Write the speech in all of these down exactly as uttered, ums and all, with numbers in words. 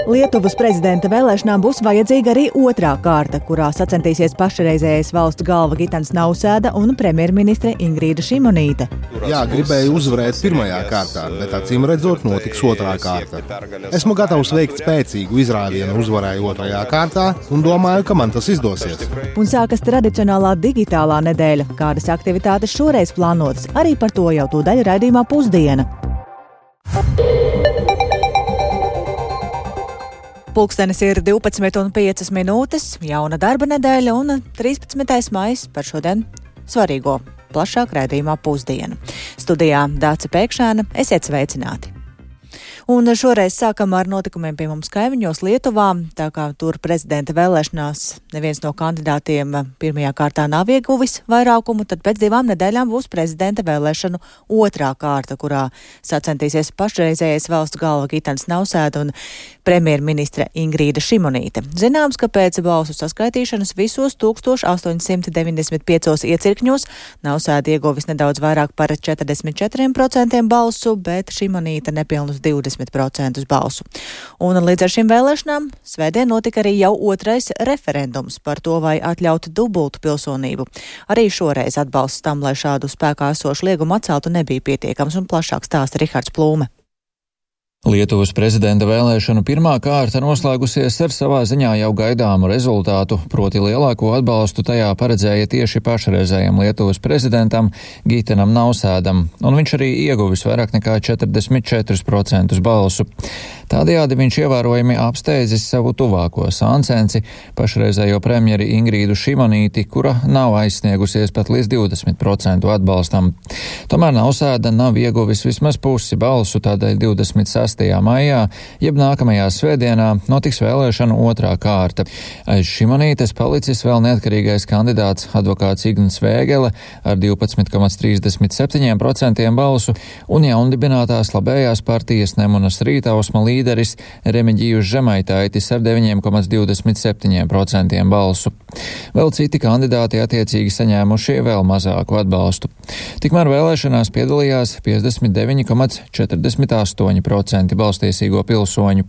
Lietuvas prezidenta vēlēšanām būs vajadzīga arī otrā kārta, kurā sacentīsies pašreizējais valsts galva Gitans Nausēda un premjerministre Ingrīda Šimonīte. Jā, gribēju uzvarēt pirmajā kārtā, bet acīm redzot notiks otrā kārta. Esmu gatavs veikt spēcīgu izrāvienu uzvarai otrajā kārtā un domāju, ka man tas izdosies. Un sākas tradicionālā digitālā nedēļa. Kādas aktivitātes šoreiz plānotas? Arī par to jau tūdaļ raidījumā Pusdiena. Pulkstenis ir divpadsmit un piecas minūtes, jauna darba nedēļa un trīspadsmitais maijs par šodien svarīgo plašāk raidījumā Pusdiena. Studijā Dāce Pēkšēna, esiet sveicināti! Un šoreiz sākam ar notikumiem pie mums kaimiņos Lietuvā, tā kā tur prezidenta vēlēšanās neviens no kandidātiem pirmajā kārtā nav ieguvis vairākumu, tad pēc divām nedēļām būs prezidenta vēlēšanu otrā kārta, kurā sacentīsies pašreizējais valsts galva Gitans Nausēda un premjerministre Ingrīda Šimonīte. Zināms, ka pēc balsu saskaitīšanas visos tūkstoš astoņsimt deviņdesmit piecos iecirkņos Nausēda ieguvis nedaudz vairāk par četrdesmit četriem procentiem balsu, bet Šimonīte nepilnus divdesmit procentus balsu. Un līdz ar šīm vēlēšanām svētdien notika arī jau otrais referendums par to, vai atļaut dubultu pilsonību. Arī šoreiz atbalsts tam, lai šādu spēkā esošu liegumu atceltu, nebija pietiekams, un plašāk stāsta Rihards Plūme. Lietuvas prezidenta vēlēšanu pirmā kārta noslēgusies ar savā ziņā jau gaidāmu rezultātu, proti lielāko atbalstu tajā paredzēja tieši pašreizējam Lietuvas prezidentam Gitanam Nausēdam, un viņš arī ieguvis vairāk nekā četrdesmit četrus procentus balsu. Tādējādi viņš ievērojami apsteidzis savu tuvāko sāncenci, pašreizējo premjeri Ingrīdu Šimonīti, kura nav aizsniegusies pat līdz divdesmit procentu atbalstam. Tomēr Nausēda nav ieguvis vismaz pusi balsu, tādēļ divdesmit sestajā maijā, jeb nākamajā svētdienā, notiks vēlēšanu otrā kārta. Aiz Šimonītes palicis vēl neatkarīgais kandidāts advokāts Igns Vēgele ar divpadsmit komats trīsdesmit septiņiem procentiem balsu un jaundibinātās labējās partijas Nemunas Rītausma līderis Remiģijus Žemaitaitis ar deviņiem komats divdesmit septiņiem procentiem balsu. Vēl citi kandidāti attiecīgi saņēmuši vēl mazāku atbalstu. Tikmēr vēlēšanās piedalījās piecdesmit deviņi komats četrdesmit astoņi procenti balstiesīgo pilsoņu.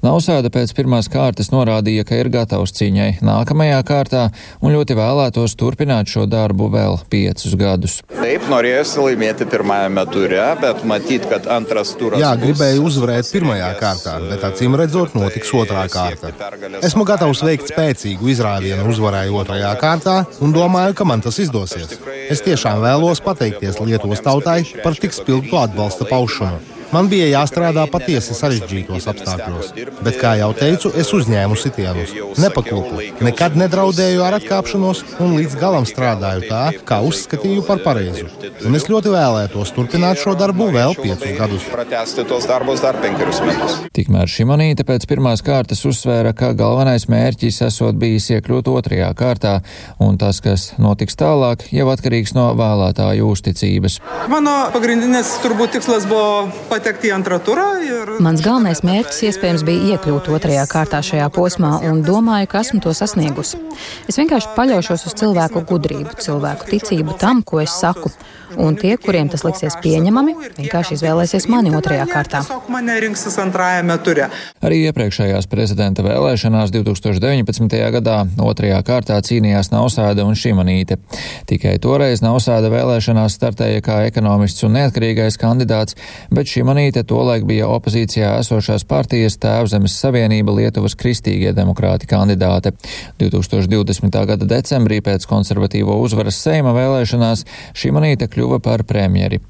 Nausēda pēc pirmās kārtas norādīja, ka ir gatavs cīņai nākamajā kārtā un ļoti vēlētos turpināt šo darbu vēl piecus gadus. Taip, norėjusi laimėti pirmajame ture, bet matīt, kad antras turas. Jā, gribēju uzvarēt pirmajā kārtā, bet acīm redzot notiks otrā kārta. Esmu gatavs veikt spēcīgu izrāvienu uzvarai otrajā kārtā un domāju, ka man tas izdosies. Es tiešām vēlos pateikties Lietuvas tautai par tik spilgtu atbalsta paušanu. Man bija jāstrādā patiesi sarežģītos apstākļos, bet, kā jau teicu, es uzņēmu sitienus, nepaklupu, nekad nedraudēju ar atkāpšanos un līdz galam strādāju tā, kā uzskatīju par pareizu. Un es ļoti vēlētos turpināt šo darbu vēl piecus gadus. Tikmēr Šimonīte pēc pirmās kārtas uzsvēra, ka galvenais mērķis esot bijis iekļūt otrajā kārtā, un tas, kas notiks tālāk, jau atkarīgs no vēlētāju uzticības. Mano pagrindinis turbūt tikslas buvo Mans galvenais mērķis iespējams bija iekļūt otrajā kārtā šajā posmā un domāju, ka esmu to sasniegusi. Es vienkārši paļaušos uz cilvēku gudrību, cilvēku ticību tam, ko es saku. Un tie, kuriem tas liksies pieņemami, vienkārši izvēlēsies mani otrajā kārtā. Arī iepriekšējās prezidenta vēlēšanās divtūkstoš deviņpadsmitajā gadā otrajā kārtā cīnījās Nausēda un Šimonīte. Tikai toreiz Nausēda vēlēšanās startēja kā ekonomists un neatkarīgais kandidāts, bet Šimonīte tolaik bija opozīcijā esošās partijas Tēvzemes Savienība Lietuvas kristīgie demokrāti kandidāte. divtūkstoš divdesmitā gada decembrī pēc konservatīvo uzvaras Seima vēlēšanās Šimonīte kļuva par premjeri.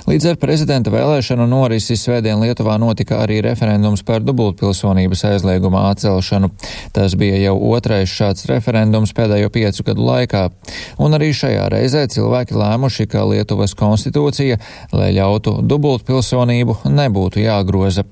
Līdz ar prezidenta vēlēšanu norisi svētdien Lietuvā notika arī referendums par dubultpilsonības aizlieguma atcelšanu. Tas bija jau otrais šāds referendums pēdējo piecu gadu laikā. Un arī šajā reizē cilvēki lēmuši, ka Lietuvas konstitūcija, lai ļautu dubultpilsonību, nebūtu jāgroza.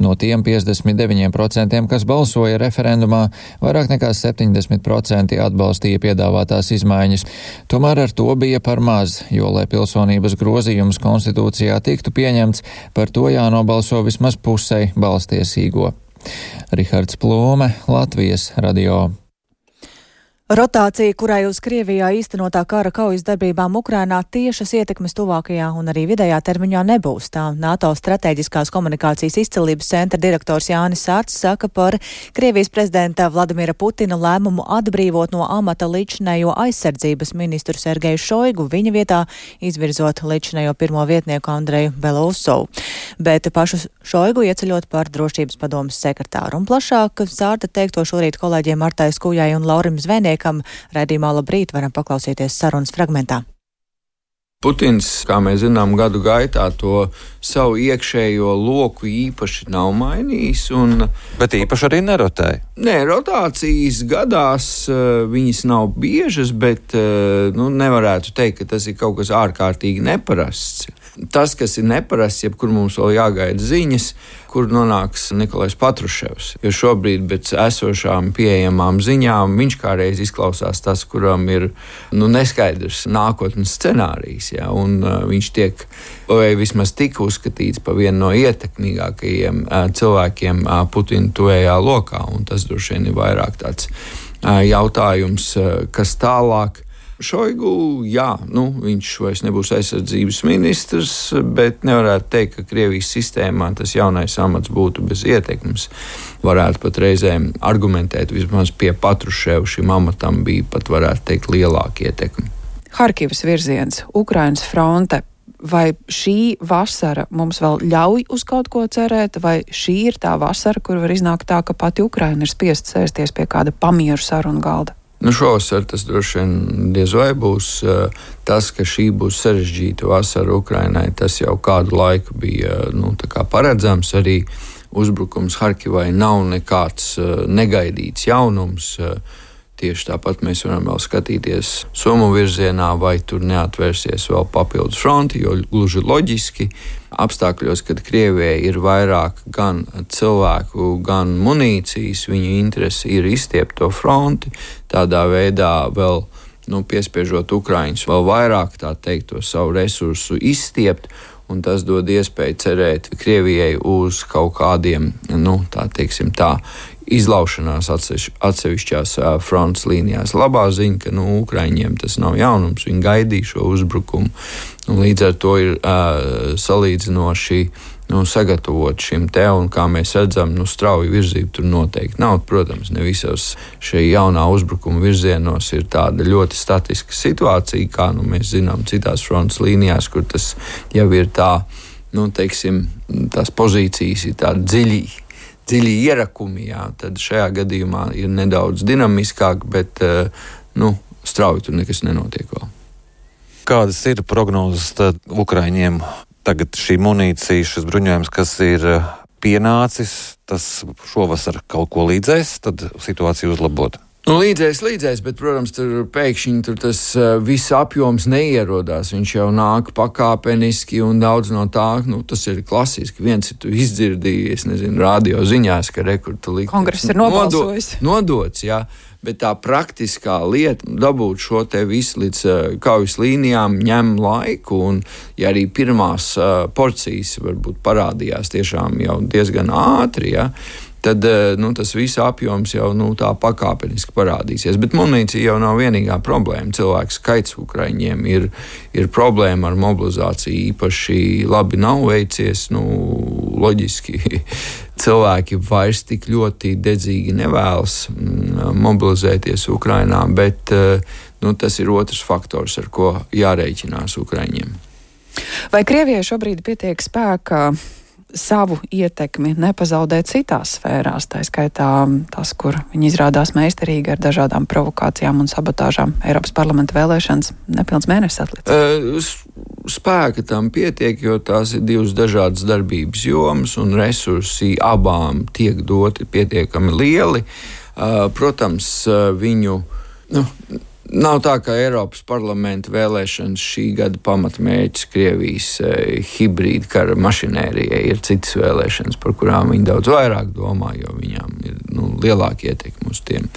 No tiem piecdesmit deviņiem procentiem, kas balsoja referendumā, vairāk nekā septiņdesmit procenti atbalstīja piedāvātās izmaiņas. Tomēr ar to bija par maz, jo, lai pilsonības grozījums konstitūcijā tiktu pieņemts, par to jānobalso vismaz pusei balstiesīgo. Rihards Plūme, Latvijas radio. Rotācija, kurai uz Krievijā īstenotā kara kaujas darbībām Ukrainā tiešas ietekmes tuvākajā un arī vidējā termiņā nebūs. Tā NATO strateģiskās komunikācijas izcilības centra direktors Jānis Sārts saka par Krievijas prezidenta Vladimira Putina lēmumu atbrīvot no amata līdzinējo aizsardzības ministru Sergeju Šoigu, viņa vietā izvirzot līdzinējo pirmo vietnieku Andreju Belousovu. Bet pašu Šoigu ieceļot par drošības padomes sekretāru. Un plašāk Sārta teikto šorīt kolēģiem Martai Skujai un Laurim Zvejniekam. Raidījumā Labrīt varam paklausīties sarunas fragmentā. Putins, kā mēs zinām, gadu gaitā to savu iekšējo loku īpaši nav mainījis. Un, Bet īpaši arī nerotēja. Nē, rotācijas gadās viņas nav biežas, bet nu, nevarētu teikt, ka tas ir kaut kas ārkārtīgi neparasts. Tas, kas ir neparasts, jebkur mums vēl jāgaida ziņas, kur nonāks Nikolais Patruševs. Jo šobrīd pēc esošām pieejamām ziņām viņš kādreiz izklausās tas, kuram ir nu, neskaidrs nākotnes scenārijs. Ja, un uh, viņš tiek, vai vismaz tika uzskatīts par vienu no ietekmīgākajiem uh, cilvēkiem uh, Putina tuvējā lokā. Un tas droši vien ir vairāk tāds uh, jautājums, uh, kas tālāk. Šoigu, jā, nu, viņš vairs nebūs aizsardzības ministrs, bet nevarētu teikt, ka Krievijas sistēmā tas jaunais amats būtu bez ietekmes. Varētu pat reizēm argumentēt, vismaz pie Patruševa šim amatam bija pat, varētu teikt, lielāka ietekme. Harkivas virziens, Ukrainas fronte. Vai šī vasara mums vēl ļauj uz kaut ko cerēt, vai šī ir tā vasara, kur var iznākt tā, ka pati Ukraina ir spiest sēsties pie kāda pamieru sarunu galda? Nu, šovasar tas droši vien diez vai būs. Tas, ka šī būs sarežģīta vasara Ukrainai, tas jau kādu laiku bija nu, tā kā paredzams. Arī uzbrukums Harkivai nav nekāds negaidīts jaunums. Tieši tāpat mēs varam vēl skatīties Somu virzienā, vai tur neatvērsies vēl papildus fronti, jo gluži loģiski apstākļos, kad Krievijai ir vairāk gan cilvēku, gan munīcijas, viņu interese ir izstiept to fronti, tādā veidā vēl nu, piespiežot Ukraiņus vēl vairāk, tā teikt, to savu resursu izstiept, un tas dod iespēju cerēt Krievijai uz kaut kādiem, nu, tā teiksim tā, izlaušanās atsevišķās frontes līnijās. Labā ziņa, ka nu, Ukraiņiem tas nav jaunums, viņi gaidīja šo uzbrukumu, un līdz ar to ir uh, salīdzinoši nu, sagatavot šim te, un kā mēs redzam, nu, strauju virzību tur noteikti nav. Protams, ne visos šī jaunā uzbrukuma virzienos ir tāda ļoti statiska situācija, kā nu, mēs zinām citās frontes līnijās, kur tas jau ir tā, nu, teiksim, tās pozīcijas ir tādi dziļi, dziļi ierakumi, jā, tad šajā gadījumā ir nedaudz dinamiskāk, bet nu, strauji tur nekas nenotiek vēl. Kādas ir prognozes tad Ukraiņiem? Tagad šī munīcija, šis bruņojums, kas ir pienācis, tas šovasar kaut ko līdzēs, tad situācija uzlabot. Nu, līdzēs, līdzēs, bet, protams, tur pēkšņi tur tas uh, viss apjoms neierodās. Viņš jau nāk pakāpeniski un daudz no tā, nu, tas ir klasiski. Viens ir tu izdzirdīji, es nezinu, radio ziņās, ka rekurtu likums. Kongress ir nobalsojis. Nodo, nodots, jā, bet tā praktiskā lieta, dabūt šo te visu līdz uh, kaujas līnijām, ņem laiku, un ja arī pirmās uh, porcijas varbūt parādījās tiešām jau diezgan ātri, jā, tad nu, tas viss apjoms jau nu, tā pakāpeniski parādīsies. Bet munīcija jau nav vienīgā problēma. Cilvēku skaits Ukraiņiem ir, ir problēma ar mobilizāciju. Īpaši labi nav veicies. Nu, loģiski cilvēki vairs tik ļoti dedzīgi nevēlas mobilizēties Ukrainā, bet nu, tas ir otrs faktors, ar ko jārēķinās Ukraiņiem. Vai Krievijai šobrīd pietiek spēka savu ietekmi nepazaudēt citās sfērās, tā skaitā tas, kur viņi izrādās meistarīgi ar dažādām provokācijām un sabotāžām? Eiropas parlamenta vēlēšanas nepilns mēnesis atlicis. Spēka tam pietiek, jo tās ir divas dažādas darbības jomas un resursi abām tiek doti pietiekami lieli. Protams, viņu nu, nav tā, ka Eiropas parlamenta vēlēšanas šī gada pamatmērķis Krievijas eh, hibrīda kara mašinērijai ir citas vēlēšanas, par kurām viņi daudz vairāk domā, jo viņām ir nu, lielāka ietekme uz tiem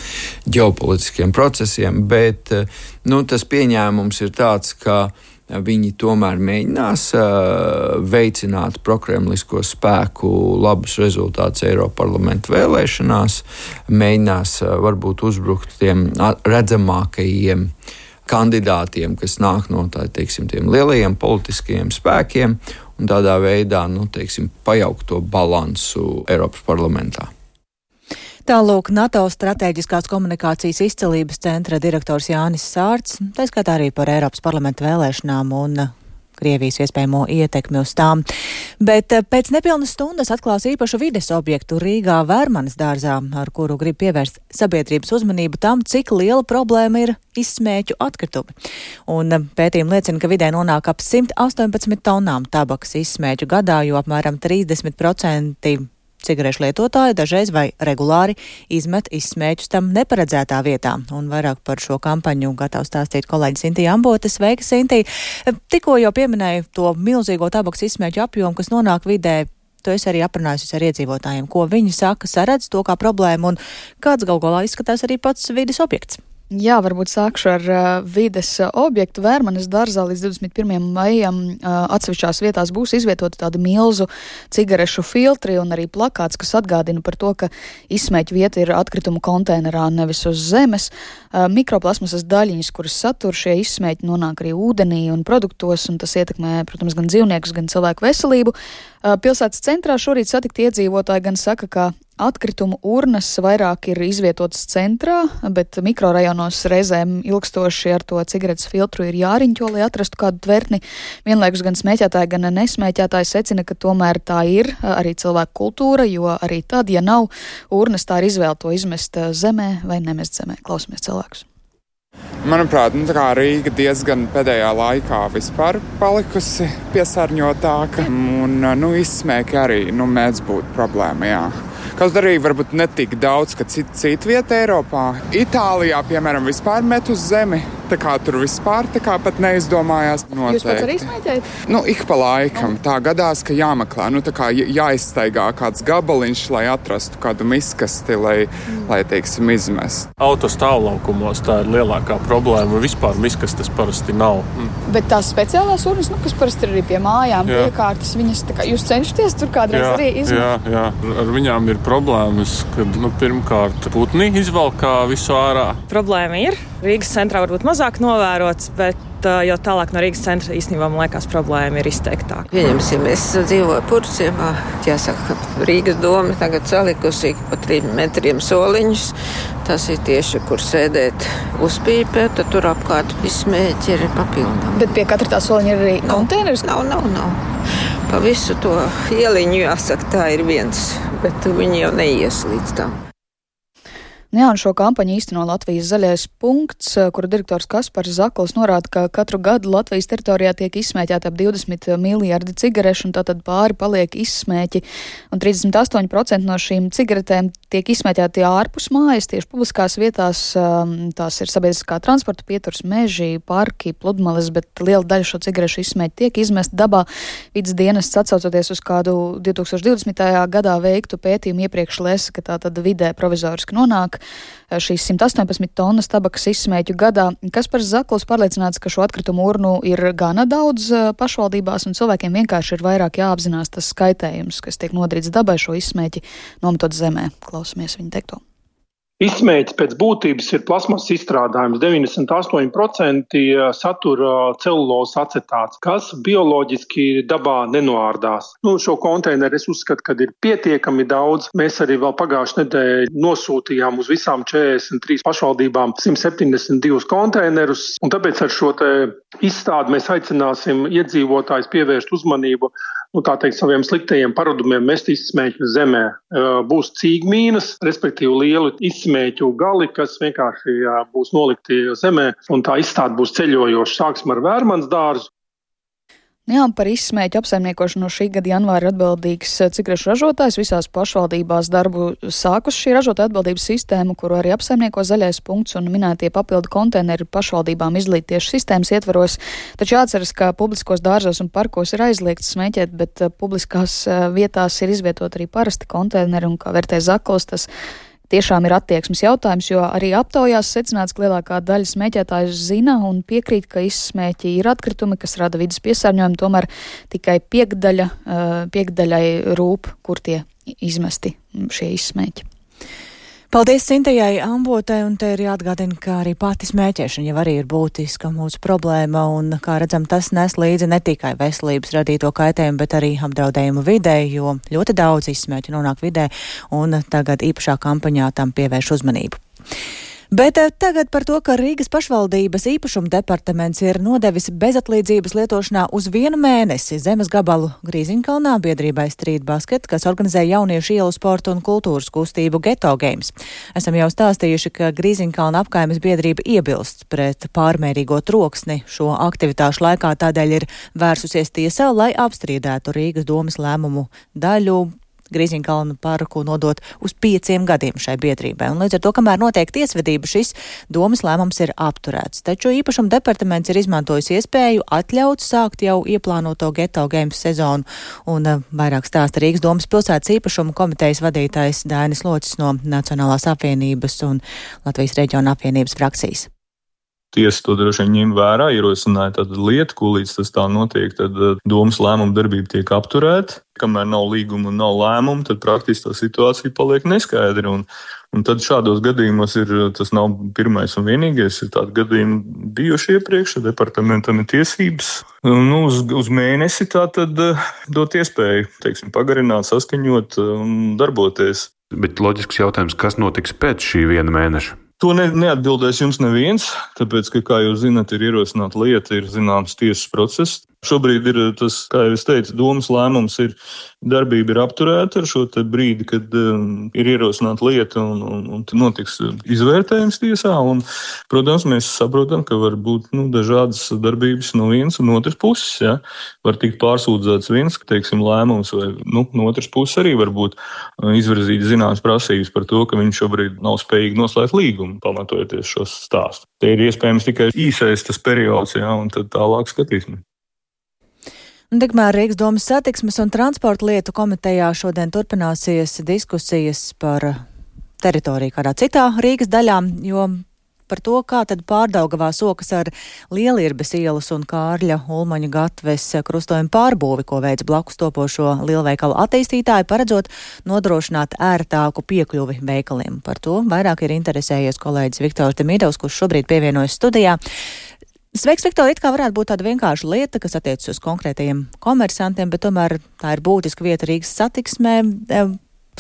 ģeopolitiskiem procesiem, bet eh, nu, tas pieņēmums ir tāds, ka viņi tomēr mēģinās veicināt prokremlisko spēku labus rezultātus Eiroparlamenta vēlēšanās, mēģinās varbūt uzbrukt tiem redzamākajiem kandidātiem, kas nāk no tā, teiksim, tiem lielajiem politiskajiem spēkiem, un tādā veidā, nu, teiksim, pajaukt to balansu Eiropas parlamentā. Tālūk NATO Stratēģiskās komunikācijas izcelības centra direktors Jānis Sārts, tā skatā arī par Eiropas parlamenta vēlēšanām un Krievijas iespējamo ietekmi uz tām. Bet pēc nepilnas stundas atklās īpašu vides objektu Rīgā Vērmanes dārzā, ar kuru grib pievērst sabiedrības uzmanību tam, cik liela problēma ir izsmēķu atkritumi. Un pētījumi liecina, ka vidē nonāk ap simt astoņpadsmit tonām tabakas izsmēķu gadā, jo apmēram trīsdesmit procenti cigarešu lietotāji dažreiz vai regulāri izmet izsmēķus tam neparedzētā vietā. Un vairāk par šo kampaņu gatavs stāstīt kolēģis Intija Ambote. Sveika, Intija! Tikko jau pieminēju to milzīgo tabakas izsmēķu apjomu, kas nonāk vidē. Tu esi arī aprunājusies ar iedzīvotājiem, ko viņi saka, saredz to kā problēmu un kāds gal galā izskatās arī pats vides objekts. Jā, varbūt sākšu ar uh, vides objektu. Vērmanes dārzā līdz divdesmit pirmajam maijam uh, atsevišķās vietās būs izvietota tāda milzu cigarešu filtri un arī plakāts, kas atgādina par to, ka izsmēķu vieta ir atkritumu konteinerā, nevis uz zemes. Uh, mikroplasmasas daļiņas, kuras satur šie izsmēķi, nonāk arī ūdenī un produktos, un tas ietekmē, protams, gan dzīvniekus, gan cilvēku veselību. Uh, pilsētas centrā šorīt satikti iedzīvotāji gan saka, ka atkritumu urnas vairāk ir izvietotas centrā, bet mikrorajonos reizēm ilgstoši ar to cigaretes filtru ir jāriņķo, lai atrastu kādu tvertni. Vienlaikus gan smēķētāji, gan nesmēķētāji secina, ka tomēr tā ir arī cilvēku kultūra, jo arī tad, ja nav urnas, tā ir izvēle to izmest zemē vai nemest zemē. Klausamies cilvēkus. Manuprāt, nu, tā kā Rīga diezgan pēdējā laikā vispār palikusi piesārņotāka, un nu, izsmēki arī nu, mēdz būt problēma, jā. Kaut arī varbūt ne tik daudz, ka cita cit vieta Eiropā. Itālijā, piemēram, vispār met uz zemi, tā kā tur vispār tā kā pat neizdomājās. Noteikti. Jūs pats arī smēķējat? Nu, ik pa laikam. Tā gadās, ka jāmeklē, nu, tā kā jāizstaigā kāds gabaliņš, lai atrastu kādu miskasti, lai, mm. lai teiksim, izmest. Autostāvlaukumos tā ir lielākā problēma. Vispār miskastes parasti nav. Mm. Bet tās speciālās urnas, nu, kas parasti ir arī pie mājām, jā. Piekārtas, viņas tā kā jūs cenšaties tur kādreiz jā, arī izmest? Jā, jā. Ar viņām ir problēmas, kad nu, pirmkārt putni izvalkā visu ārā. Problēma ir. Rīgas centrā varbūt mazāk novērots, bet jo tālāk no Rīgas centra īstenībā, man liekas, problēma ir izteiktāka. Pieņemsim, es dzīvoju Purciemā. Jāsaka, ka Rīgas doma tagad salikusi pa trim metriem soliņus. Tas ir tieši, kur sēdēt uzpīpē, tad tur apkārt izsmēķi ir papildām. Bet pie katra tā soliņa ir arī konteineris? Nav, nav, nav. Pa visu to ieliņu, jāsaka, tā ir viens, bet viņi jau neies līdz tam. Jā, un šo kampaņu īsteno Latvijas zaļais punkts, kura direktors Kaspars Zakls norāda, ka katru gadu Latvijas teritorijā tiek izsmēķēta ap divdesmit miljardi cigarešu, un tātad pāri paliek izsmēķi. Un trīsdesmit astoņi procenti no šīm cigaretēm tiek izsmēķēti ārpus mājas, tieši publiskās vietās. Tās ir sabiedriskā transporta pieturs, meži, parki, pludmales, bet liela daļa šo cigarešu izsmēķi tiek izmest dabā. Vides dienests atsaucoties uz kādu divi tūkstoši divdesmitajā gadā veiktu pētījumu iepriekš lēsa, ka tā tad vidē provizoriski nonāk šīs simt astoņpadsmit tonnas tabakas izsmēķu gadā. Kaspars Zakls pārliecināts, ka šo atkritumu urnu ir gana daudz pašvaldībās, un cilvēkiem vienkārši ir vairāk jāapzinās tas skaitējums, kas tiek nodarīts dabai šo izsmēķi nometot zemē. Klausamies viņa teikto. Izsmēķis pēc būtības ir plasmas izstrādājums. deviņdesmit astoņi procenti satura celulozes acetāts, kas bioloģiski dabā nenoārdās. Nu, šo konteineru es uzskatu, ka ir pietiekami daudz. Mēs arī vēl pagājušajā nedēļā nosūtījām uz visām četrdesmit trīs pašvaldībām simt septiņdesmit divus konteinerus. Un tāpēc ar šo te izstādi mēs aicināsim iedzīvotājus pievērst uzmanību nu, tā teikt, saviem sliktajiem paradumiem mest izsmēķu zemē. Būs cīgmīnas, respektīvi lielu izsmēķu gali, kas vienkārši jā, būs nolikti zemē, un tā izstāde būs ceļojoša. Sāksim ar Vērmanes dārzu. Jā, par izsmēķu apsaimniekošanu no šī gada janvāra atbildīgs cigarešu ražotājs. Visās pašvaldībās darbu sākus šī ražotāja atbildības sistēma, kuru arī apsaimnieko zaļais punkts un minētie papildu konteineri pašvaldībām izlīt tieši sistēmas ietvaros. Taču jāatceras, ka publiskos dārzos un parkos ir aizliegts smēķēt, bet publiskās vietās ir izvietot arī parasti konteineri, un kā vērtē Zakls, tas tiešām ir attieksmes jautājums, jo arī aptaujās secināts, ka lielākā daļa smēķētāju zina un piekrīt, ka izsmēķi ir atkritumi, kas rada vidas piesārņojumu, tomēr tikai piekdaļa, piekdaļai rūp, kur tie izmesti šie izsmēķi. Paldies Cintejai Ambotai, un te ir jāatgādina, ka arī pati smēķēšana jau arī ir būtiska mūsu problēma, un, kā redzam, tas nes līdzi ne tikai veselības radīto kaitējumu, bet arī apdraudējumu vidē, jo ļoti daudz izsmēķu nonāk vidē, un tagad īpašā kampaņā tam pievērš uzmanību. Bet tagad par to, ka Rīgas pašvaldības īpašuma departaments ir nodevis bezatlīdzības lietošanā uz vienu mēnesi zemes gabalu Grīziņkalnā biedrībai Street Basket, kas organizē jauniešu ielu sportu un kultūras kustību Ghetto Games. Esam jau stāstījuši, ka Grīziņkalna apkaimes biedrība iebilst pret pārmērīgo troksni šo aktivitāšu laikā, tādēļ ir vērsusies tiesā, lai apstrīdētu Rīgas domes lēmumu daļu Grīziņkalnu parku nodot uz pieciem gadiem šai biedrībai. Un līdz ar to, kamēr notiek tiesvedība, šis domes lēmums ir apturēts. Taču īpašuma departaments ir izmantojis iespēju atļaut sākt jau ieplānoto Ghetto Games sezonu. Un uh, vairāk stāsta Rīgas domes pilsētas īpašuma komitejas vadītājs Dainis Locis no Nacionālās apvienības un Latvijas reģiona apvienības frakcijas. Tiesa to droši vien ņem vērā, ierosināja tādu lietu, ko līdz tas tā notiek, tad domas lēmuma darbība tiek apturēta. Kamēr nav līguma un nav lēmuma, tad praktiski tā situācija paliek neskaidra. Un, un tad šādos gadījumos ir, tas nav pirmais un vienīgais, ir tādi gadījumi bijuši iepriekš, departamentam ir tiesības. Nu, uz, uz mēnesi tā tad dot iespēju, teiksim, pagarināt, saskaņot un darboties. Bet loģisks jautājums, kas notiks pēc šī viena mēneša? To ne, neatbildēs jums neviens, tāpēc, ka, kā jūs zināt, ir ierosināta lieta, ir zināms tiesas process. Šobrīd ir tas, kā jau es teicu, domas lēmums ir, darbība ir apturēta ar šo te brīdi, kad um, ir ierosināta lieta un, un, un notiks izvērtējums tiesā. Un, protams, mēs saprotam, ka var būt nu, dažādas darbības no vienas un otras puses. Ja? Var tikt pārsūdzēts viens, teiksim, lēmums, vai nu, no otras puses arī var būt uh, izvirzīt zināmas prasības par to, ka viņš šobrīd nav spējīgi noslēgt līgumu, pamatojoties šo stāstu. Te ir iespējams tikai īsais tas periods, ja? Un tad tālāk skatīsim. Tikmēr Rīgas domes satiksmes un transporta lietu komitejā šodien turpināsies diskusijas par teritoriju kādā citā Rīgas daļā, jo par to, kā tad Pārdaugavā sokas ar Lielirbes ielas un Kārļa Ulmaņa gatves krustojumu pārbūvi, ko veids blakus topošo lielveikalu attīstītāji, paredzot nodrošināt ērtāku piekļuvi veikaliem. Par to vairāk ir interesējies kolēģis Viktors Demidovs, kurš šobrīd pievienojas studijā. Sveiks, Viktor, it kā varētu būt tāda vienkārša lieta, kas attiecas uz konkrētajiem komersantiem, bet tomēr tā ir būtiska vieta Rīgas satiksmē.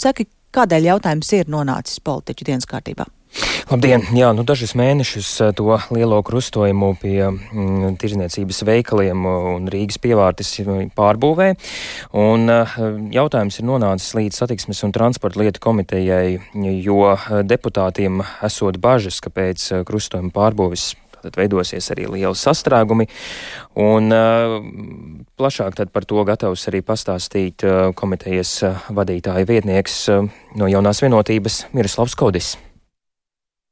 Saki, kādēļ jautājums ir nonācis politiķu dienas kārtībā? Labdien! Jā, nu dažus mēnešus to lielo krustojumu pie mm, tirzniecības veikaliem un Rīgas pievārtes pārbūvē. Un jautājums ir nonācis līdz satiksmes un transporta lietu komitejai, jo deputātiem esot bažas, ka pēc krustojuma pārbūves tad veidosies arī lieli sastrēgumi, un uh, plašāk tad par to gatavs arī pastāstīt uh, komitejas uh, vadītāja vietnieks uh, no Jaunās vienotības Miroslavs Kodis.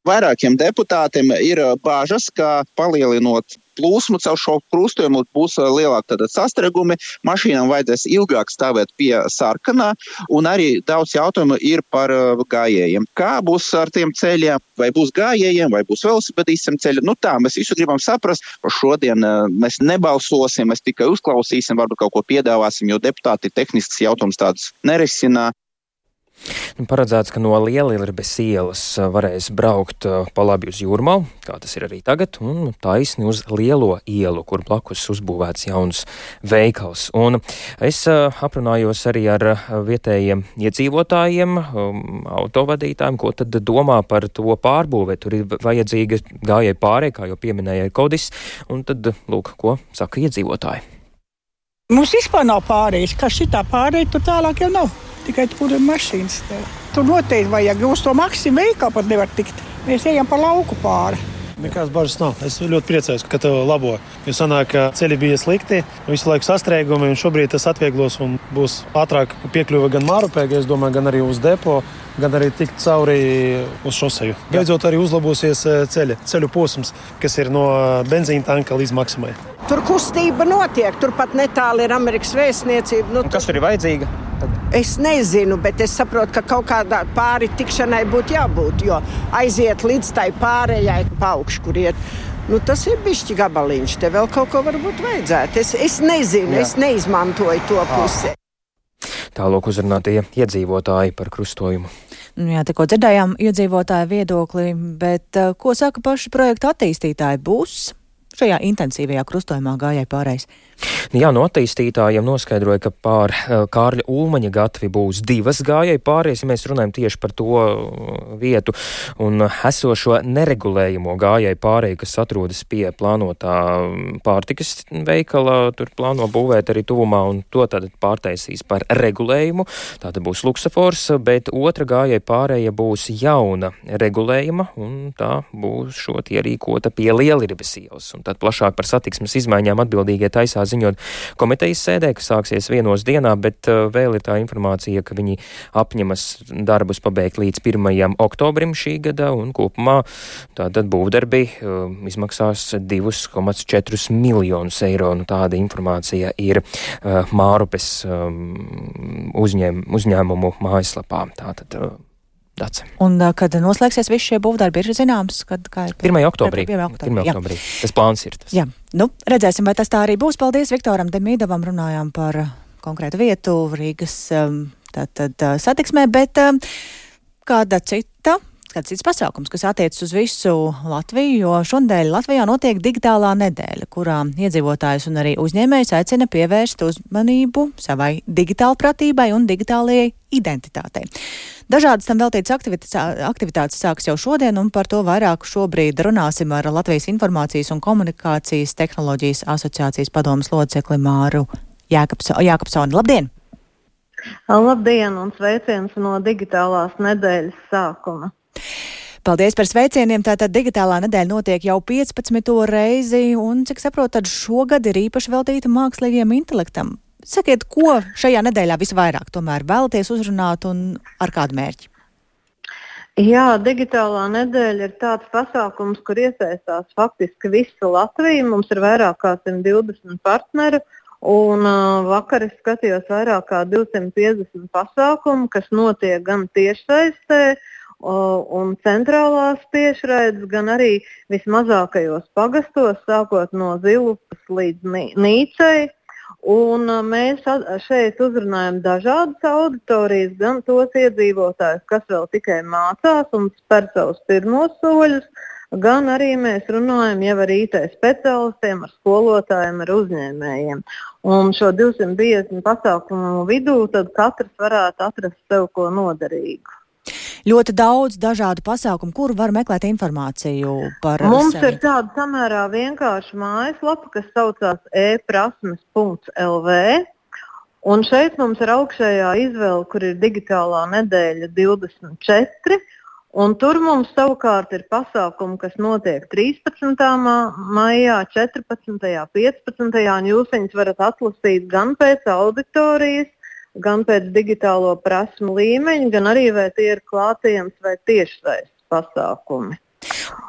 Vairākiem deputātiem ir bāžas, ka palielinot plūsmu caur šo krustojumu būs lielāki sastrēgumi, mašīnām vajadzēs ilgāk stāvēt pie sarkanā, un arī daudz jautājumu ir par gājējiem. Kā būs ar tiem ceļiem, vai būs gājējiem, vai būs velosipedistiem ceļi? Nu tā, mēs visu gribam saprast, šodien mēs nebalsosim, mēs tikai uzklausīsim, varbūt kaut ko piedāvāsim, jo deputāti tehnisks jautājums tādus nerisina. Paredzēts, ka no Lielirbes ielas varēs braukt pa labi uz Jūrmalu, kā tas ir arī tagad, un taisni uz Lielo ielu, kur blakus uzbūvēts jauns veikals. Un es aprunājos arī ar vietējiem iedzīvotājiem, autovadītājiem, ko tad domā par to pārbūvē. Tur ir vajadzīga gājēja pārēja, kā jau pieminēja Kodis, un tad, lūk, ko saka iedzīvotāji. Mums vispār nav pārējas, kā šitā pārēja, tur tālāk jau nav. Tikai tur ir mašīnas. Tur noteikti vajag, uz to Maksim veikalu pat nevar tikt. Mēs ejam pa lauku pāri. Nekāds bažas nav. Es ļoti priecājos, ka tev labo. Jo sanāk, ka ceļi bija slikti, visu laiku sastrēgumi, un šobrīd tas atvieglos un būs ātrāk piekļuva gan Mārupē, es domāju, gan arī uz depo, gan arī tikt cauri uz šoseju. Beidzot arī uzlabosies ceļa, ceļu posms, kas ir no benzīna tanka līdz Maksimai. Tur kustība notiek, tur pat netāli ir Amerikas vēstniecība. Nu, kas tur ir vajadzīga? Es nezinu, bet es saprotu, ka kaut kādā pāri tikšanai būtu jābūt, jo aiziet līdz tai pārējai pa augšu, kur iet. Nu, tas ir bišķi gabaliņš, te vēl kaut ko varbūt vajadzētu. Es, es nezinu, Jā. es neizmantoju to pusi. Tālāk uzrunātie iedzīvotāji par krustojumu. Jā, tikko dzirdējām iedzīvotāju viedokli, bet uh, ko saka paši projekta attīstītāji? Būs šajā intensīvajā krustojumā gājēji pārējais? Jā, no attīstītājiem noskaidroja, ka pār Kārļa Ulmaņa gatvi būs divas gājēji pārējais, ja mēs runājam tieši par to vietu un esošo neregulējumu gājēji pārēju, kas atrodas pie plānotā pārtikas veikala, tur plāno būvēt arī tuvumā, un to tad pārtaisīs par regulējumu. Tātad būs luksafors, bet otra gājēji pārēja būs jauna regulējuma, un tā būs šot ierīkota pie Lieliribes ielas. Un tad plašāk par satiksmes izmaiņām atbildīgie taisā ziņot komitejas sēdē, kas sāksies vienos dienā, bet uh, vēl ir tā informācija, ka viņi apņemas darbus pabeigt līdz pirmajam oktobrim šī gada, un kopumā tātad būvdarbi uh, izmaksās divi komats četri miljonus eiro. Nu, tāda informācija ir uh, Mārupes um, uzņēm, uzņēmumu mājaslapā. Tātad, uh, Dace. Un kad noslēgsies visi šie būvdarbi, ir zināms, kad kā ir? pirmajā oktobrī. pirmajā oktobrī. Tas plāns ir tas. Jā, nu, redzēsim, vai tas tā arī būs. Paldies Viktoram Demīdovam, runājām par konkrētu vietu Rīgas tātad satiksmē, bet kāda cita, kāds cits pasākums, kas attiecas uz visu Latviju, jo šodien Latvijā notiek digitālā nedēļa, kurā iedzīvotājus un arī uzņēmējus aicina pievērst uzmanību savai digitālpratībai un digitālajai identitātei. Dažādas tam veltītas aktivitātes sāks jau šodien, un par to vairāk šobrīd runāsim ar Latvijas Informācijas un komunikācijas tehnoloģijas asociācijas padomes locekli Māru Jākapsoni. Labdien! Labdien un sveiciens no digitālās nedēļas sākuma. Paldies par sveicieniem. Tātad digitālā nedēļa notiek jau piecpadsmito reizi, un, cik saprotu, tad šogad ir īpaši veltīta mākslīgajam intelektam. Sakiet, ko šajā nedēļā visvairāk tomēr vēlaties uzrunāt un ar kādu mērķi? Jā, digitālā nedēļa ir tāds pasākums, kur iesaistās faktiski visa Latvija. Mums ir vairāk kā simt divdesmit partneri, un uh, vakar es skatījos vairāk kā divsimt piecdesmit pasākumu, kas notiek gan tiešsaistē, uh, un centrālās tiešraides, gan arī vismazākajos pagastos, sākot no Zilupas līdz Nīcei. Un mēs šeit uzrunājam dažādas auditorijas, gan tos iedzīvotājus, kas vēl tikai mācās un spēr savus pirmos soļus, gan arī mēs runājam jau ar I T speciālistiem, ar skolotājiem, ar uzņēmējiem. Un šo divsimt piecdesmit pasākumu vidū tad katrs varētu atrast sev ko noderīgu. Ļoti daudz dažādu pasākumu, kur var meklēt informāciju par Mums sevi. ir tāda samērā vienkārša mājaslapa, kas saucās e prasmes punkts l v, un šeit mums ir augšējā izvēle, kur ir digitālā nedēļa divdesmit četri, un tur mums savukārt ir pasākumi, kas notiek trīspadsmitā maijā, četrpadsmitajā, piecpadsmitajā, un jūs viņus varat atlasīt gan pēc auditorijas, gan pēc digitālo prasmu līmeņa, gan arī vai tie ir klātienes vai tiešsaistes pasākumi.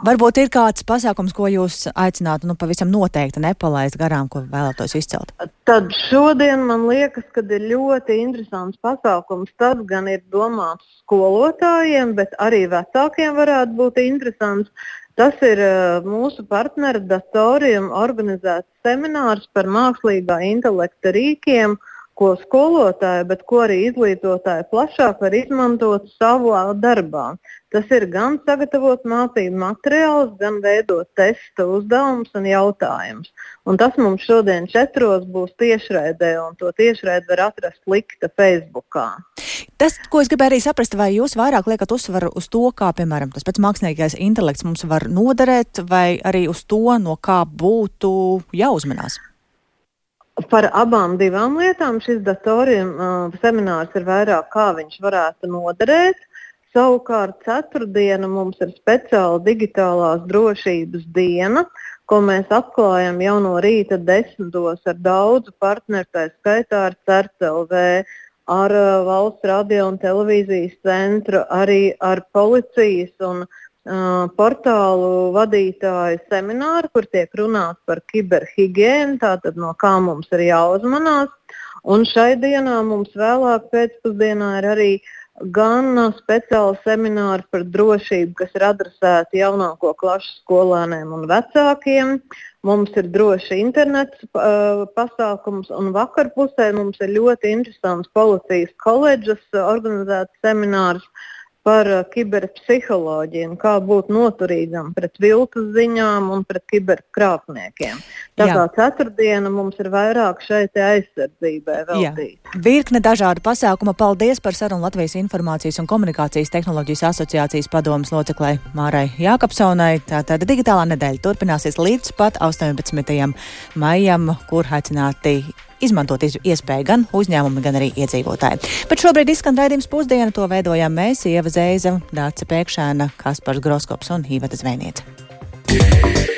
Varbūt ir kāds pasākums, ko jūs aicinātu nu, pavisam noteikti nepalaist garām, ko vēlētos izcelt? Tad šodien man liekas, ka ir ļoti interesants pasākums. Tas gan ir domāts skolotājiem, bet arī vecākiem varētu būt interesants. Tas ir uh, mūsu partneru datoriem organizēts seminārs par mākslīgā intelekta rīkiem, ko skolotāji, bet ko arī izglītotāji plašāk var izmantot savā darbā. Tas ir gan sagatavot mācību materiālus, gan veidot testa uzdevumus un jautājumus. Un tas mums šodien četros būs tiešraidē, un to tiešraidi var atrast likta Facebookā. Tas, ko es gribēju arī saprast, vai jūs vairāk liekat uzsvaru uz to, kā, piemēram, tas pats mākslīgais intelekts mums var noderēt, vai arī uz to, no kā būtu jāuzmanās? Par abām divām lietām šis datoriem uh, seminārs ir vairāk, kā viņš varētu noderēt. Savukārt ceturtdiena mums ir speciāla digitālās drošības diena, ko mēs atklājam jau no rīta desmitos ar daudzu partneru, tā skaitā ar CERT L V, ar uh, Valsts radio un televīzijas centru, arī ar policijas un Uh, portālu vadītāju semināru, kur tiek runāts par kiberhigiēnu, tātad no kā mums ir jāuzmanās. Un šai dienā mums vēlāk pēcpusdienā ir arī gan speciāli semināri par drošību, kas ir adresēti jaunāko klašu skolēniem un vecākiem. Mums ir droši internets uh, pasākums, un vakarpusē mums ir ļoti interesants policijas koledžas organizēts seminārs par uh, kiberpsiholoģiju un kā būt noturīgam pret viltus ziņām un pret kiberkrāpniekiem. Tā kā ceturtdiena mums ir vairāk šeit aizsardzībai veltīta. Virkne dažādu pasākumu. Paldies par sarunu Latvijas Informācijas un komunikācijas tehnoloģijas asociācijas padomes loceklei Mārai Jākapsonai. Tātad digitālā nedēļa turpināsies līdz pat astoņpadsmitajam maijam, kur aicināti izmantot iespēju gan uzņēmumi, gan arī iedzīvotāji. Bet šobrīd izskan raidījums Pusdiena, to veidojām mēs, Ieva Zeiza, Dāce Pēkšēna, Kaspars Groskops un Iveta Zvēniece.